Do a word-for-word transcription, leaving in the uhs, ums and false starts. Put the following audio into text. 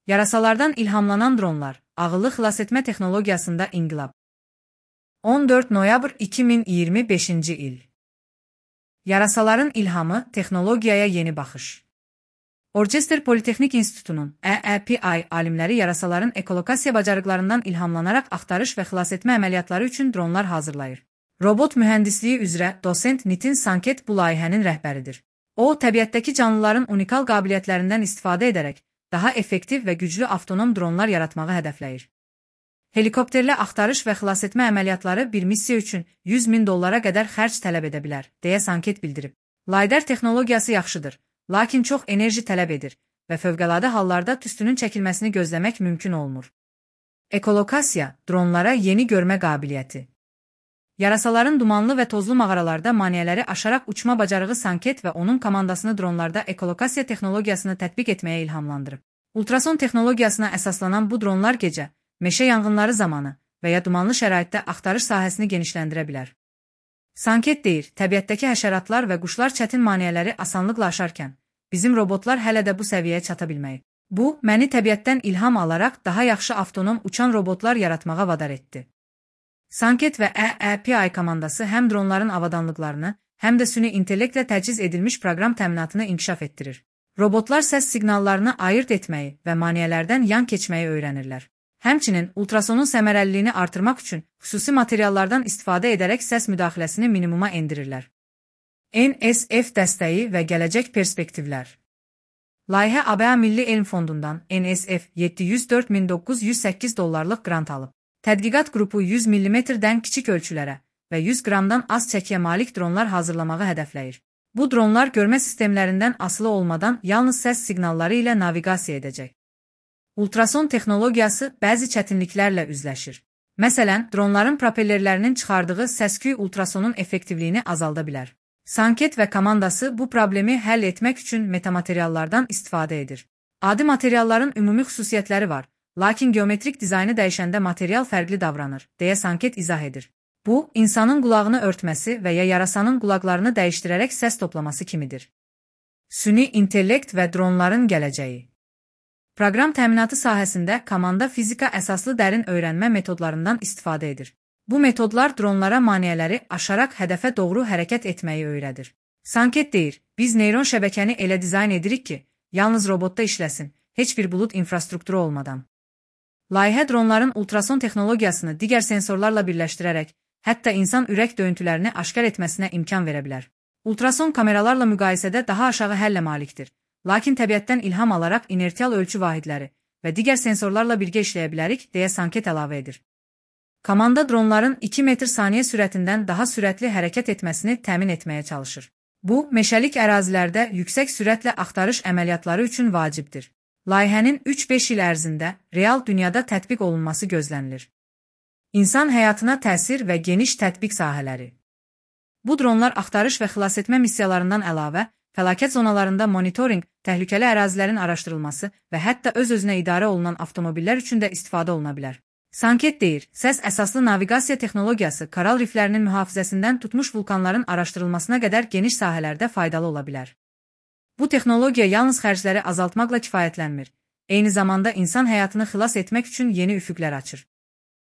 Yarasalardan ilhamlanan dronlar, ağıllı xilasetmə texnologiyasında inqilab. on dörd noyabr iki min iyirmi beşinci il. Yarasaların ilhamı, texnologiyaya yeni baxış. Orchester Politexnik İnstitutunun E E P I alimləri yarasaların ekolokasiya bacarıqlarından ilhamlanaraq axtarış və xilasetmə əməliyyatları üçün dronlar hazırlayır. Robot mühəndisliyi üzrə dosent Nitin Sanket bu layihənin rəhbəridir. O, təbiətdəki canlıların unikal qabiliyyətlərindən istifadə edərək daha effektiv və güclü avtonom dronlar yaratmağı hədəfləyir. Helikopterlə axtarış və xilasetmə əməliyyatları bir missiya üçün yüz min dollara qədər xərc tələb edə bilər, deyə Sanket bildirib. LiDAR texnologiyası yaxşıdır, lakin çox enerji tələb edir və fövqəladə hallarda tüstünün çəkilməsini gözləmək mümkün olmur. Ekolokasiya, dronlara yeni görmə qabiliyyəti. Yarasaların dumanlı və tozlu mağaralarda maneələri aşaraq uçma bacarığı Sanket və onun komandasını dronlarda ekolokasiya texnologiyasını tətbiq etməyə ilhamlandırıb. Ultrason texnologiyasına əsaslanan bu dronlar gecə, meşə yanğınları zamanı və ya dumanlı şəraitdə axtarış sahəsini genişləndirə bilər. Sanket deyir, təbiətdəki həşəratlar və quşlar çətin maneələri asanlıqla aşarkən, bizim robotlar hələ də bu səviyyəyə çata bilməyib. Bu, məni təbiətdən ilham alaraq daha yaxşı avtonom uçan robotlar yaratmağa vadar etdi. Sanket və E E P I komandası həm dronların avadanlıqlarını, həm də süni intellektlə təchiz edilmiş proqram təminatını inkişaf etdirir. Robotlar səs siqnallarını ayırt etməyi və maneələrdən yan keçməyi öyrənirlər. Həmçinin, ultrasonun səmərəliliyini artırmaq üçün xüsusi materiallardan istifadə edərək səs müdaxiləsini minimuma endirirlər. N S F dəstəyi və gələcək perspektivlər. Layihə A B A Milli Elm Fondundan N S F yeddi yüz dörd min doqquz yüz səkkiz dollarlıq qrant alıb. Tədqiqat qrupu yüz millimetrdən kiçik ölçülərə və yüz qramdan az çəkiyə malik dronlar hazırlamağı hədəfləyir. Bu dronlar görmə sistemlərindən asılı olmadan yalnız səs siqnalları ilə naviqasiya edəcək. Ultrason texnologiyası bəzi çətinliklərlə üzləşir. Məsələn, dronların propellerlərinin çıxardığı səs-küy ultrasonun effektivliyini azalda bilər. Sanket və komandası bu problemi həll etmək üçün metamateriallardan istifadə edir. Adi materialların ümumi xüsusiyyətləri var, lakin geometrik dizaynı dəyişəndə material fərqli davranır, deyə Sanket izah edir. Bu, insanın qulağını örtməsi və ya yarasanın qulaqlarını dəyişdirərək səs toplaması kimidir. Süni intellekt və dronların gələcəyi. Proqram təminatı sahəsində komanda fizika əsaslı dərin öyrənmə metodlarından istifadə edir. Bu metodlar dronlara maneələri aşaraq hədəfə doğru hərəkət etməyi öyrədir. Sanket deyir, biz neyron şəbəkəni elə dizayn edirik ki, yalnız robotda işləsin, heç bir bulut infrastrukturu olmadan. Layihə dronların ultrason texnologiyasını digər sensorlarla birləşdirərək, hətta insan ürək döyüntülərini aşkar etməsinə imkan verə bilər. Ultrason kameralarla müqayisədə daha aşağı həllə malikdir, lakin təbiətdən ilham alaraq inertial ölçü vahidləri və digər sensorlarla birgə işləyə bilərik, deyə Sanket əlavə edir. Komanda dronların iki metr saniyə sürətindən daha sürətli hərəkət etməsini təmin etməyə çalışır. Bu, meşəlik ərazilərdə yüksək sürətlə axtarış əməliyyatları üçün vacibdir. Layihənin üç beş il ərzində real dünyada tətbiq olunması gözlənilir. İnsan həyatına təsir və geniş tətbiq sahələri. Bu dronlar axtarış və xilasetmə missiyalarından əlavə, fəlakət zonalarında monitorinq, təhlükəli ərazilərin araşdırılması və hətta öz-özünə idarə olunan avtomobillər üçün də istifadə oluna bilər. Sanket deyir, səs əsaslı naviqasiya texnologiyası koral riflərinin mühafizəsindən tutmuş vulkanların araşdırılmasına qədər geniş sahələrdə faydalı ola bilər. Bu texnologiya yalnız xərcləri azaltmaqla kifayətlənmir, eyni zamanda insan həyatını xilas etmək üçün yeni üfüqlər açır.